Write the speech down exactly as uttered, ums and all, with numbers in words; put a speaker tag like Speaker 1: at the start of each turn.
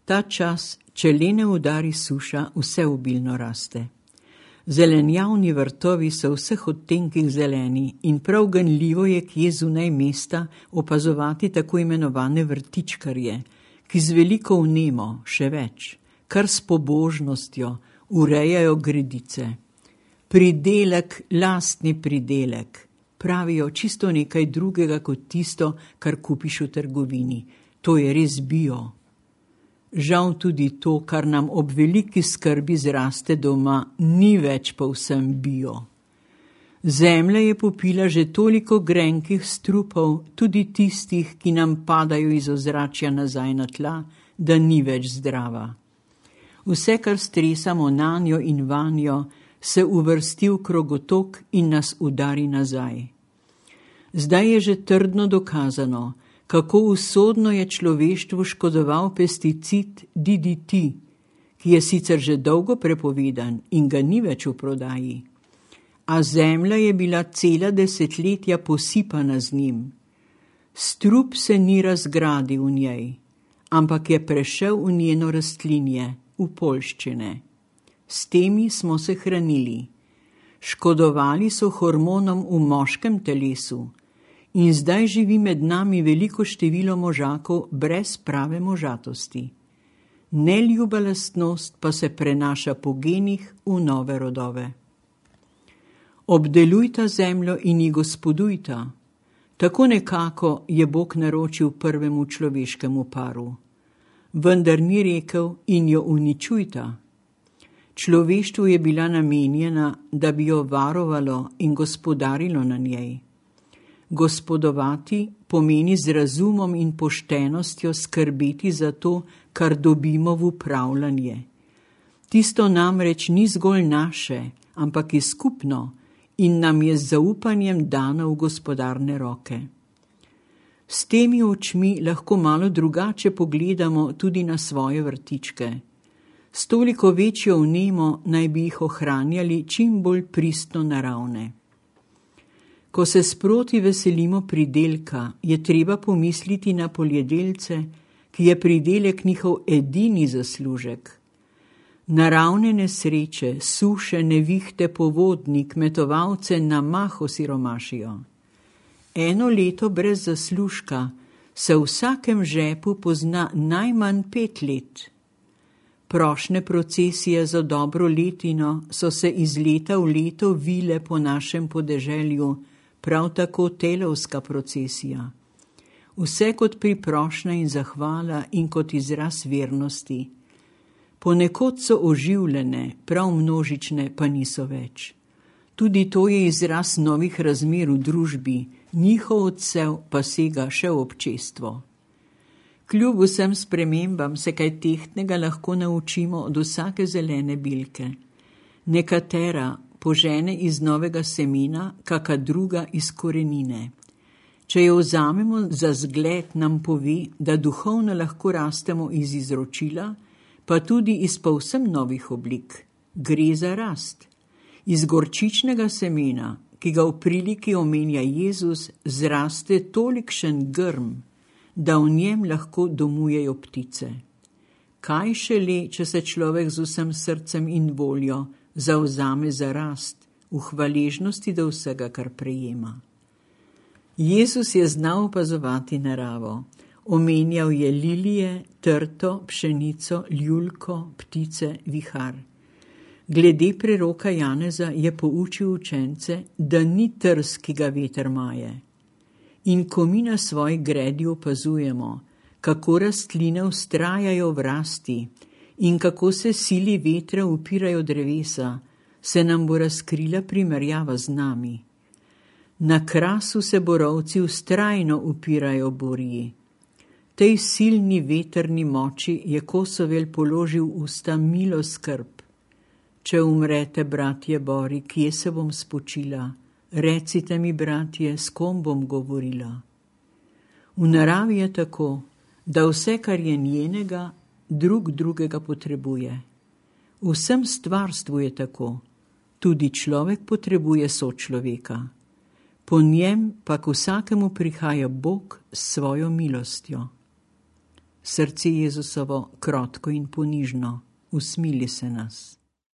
Speaker 1: Ta čas, če le ne udari suša, vse obilno raste. Zelenjavni vrtovi so vseh odtenkih zeleni in prav ganljivo je kje zunaj mesta opazovati tako imenovane vrtičkarje, ki z veliko vnemo, še več, kar s pobožnostjo urejajo gredice. Pridelek, lastni pridelek, pravijo čisto nekaj drugega kot tisto, kar kupiš v trgovini. To je res bio. Žal tudi to, kar nam ob veliki skrbi zraste doma, ni več povsem bio. Zemlja je popila že toliko grenkih strupov, tudi tistih, ki nam padajo iz ozračja nazaj na tla, da ni več zdrava. Vse, kar stresamo nanjo in vanjo, se uvrsti v krogotok in nas udari nazaj. Zdaj je že trdno dokazano, kako usodno je človeštvu škodoval pesticid D D T, ki je sicer že dolgo prepovedan in ga ni več v prodaji. A zemlja je bila cela desetletja posipana z njim. Strup se ni razgradil v njej, ampak je prešel v njeno rastlinje, v poljščine. S temi smo se hranili. Škodovali so hormonom v moškem telesu in zdaj živi med nami veliko število možakov brez prave možatosti. Neljuba lastnost pa se prenaša po genih v nove rodove. Obdelujta zemljo in ji gospodujta. Tako nekako je Bog naročil prvemu človeškemu paru. Vendar ni rekel in jo uničujta. Človeštvu je bila namenjena, da bi jo varovalo in gospodarilo na njej. Gospodovati pomeni z razumom in poštenostjo skrbeti za to, kar dobimo v upravljanje. Tisto namreč ni zgolj naše, ampak je skupno in nam je z zaupanjem dano v gospodarne roke. S temi očmi lahko malo drugače pogledamo tudi na svoje vrtičke. S toliko večjo vnemo naj bi jih ohranjali čim bolj pristno naravne. Ko se sproti veselimo pridelka, je treba pomisliti na poljedelce, ki je pridelek njihov edini zaslužek. Naravne nesreče, suše, nevihte, povodni, kmetovalce na mah osiromašijo. Eno leto brez zaslužka se v vsakem žepu pozna najmanj pet let. Prošnje procesije za dobro letino so se iz leta v leto vile po našem podeželju, prav tako telovska procesija. Vse kot priprošnja in zahvala in kot izraz vernosti. Ponekod so oživljene, prav množične pa niso več. Tudi to je izraz novih razmer v družbi, njihov odsev pa sega še v občestvo. Kljub vsem spremembam se kaj tehtnega lahko naučimo od vsake zelene bilke. Nekatera požene iz novega semena, kaka druga iz korenine. Če jo vzamemo za zgled, nam pove, da duhovno lahko rastemo iz izročila, pa tudi iz povsem novih oblik. Gre za rast. Iz gorčičnega semena, ki ga v priliki omenja Jezus, zraste tolikšen grm, da v njem lahko domujejo ptice. Kaj šele, če se človek z vsem srcem in voljo zavzame za rast, v hvaležnosti do vsega, kar prejema. Jezus je znal opazovati naravo. Omenjal je lilije, trto, pšenico, ljulko, ptice, vihar. Glede preroka Janeza je poučil učence, da ni trs, ki ga veter maje. In ko mi na svoji gredi opazujemo, kako rastline vztrajajo v rasti in kako se sili vetra upirajo drevesa, se nam bo razkrila primerjava z nami. Na krasu se borovci vztrajno upirajo burji. Tej silni vetrni moči je Kosovel položil v usta milo skrb. Če umrete, bratje bori, kje se bom spočila? Recite mi, bratje, s kom bom govorila? V naravi je tako, da vse, kar je njenega, drug drugega potrebuje. V vsem stvarstvu je tako. Tudi človek potrebuje sočloveka. Po njem pa k vsakemu prihaja Bog s svojo milostjo. Srce Jezusovo krotko in ponižno, usmili se nas.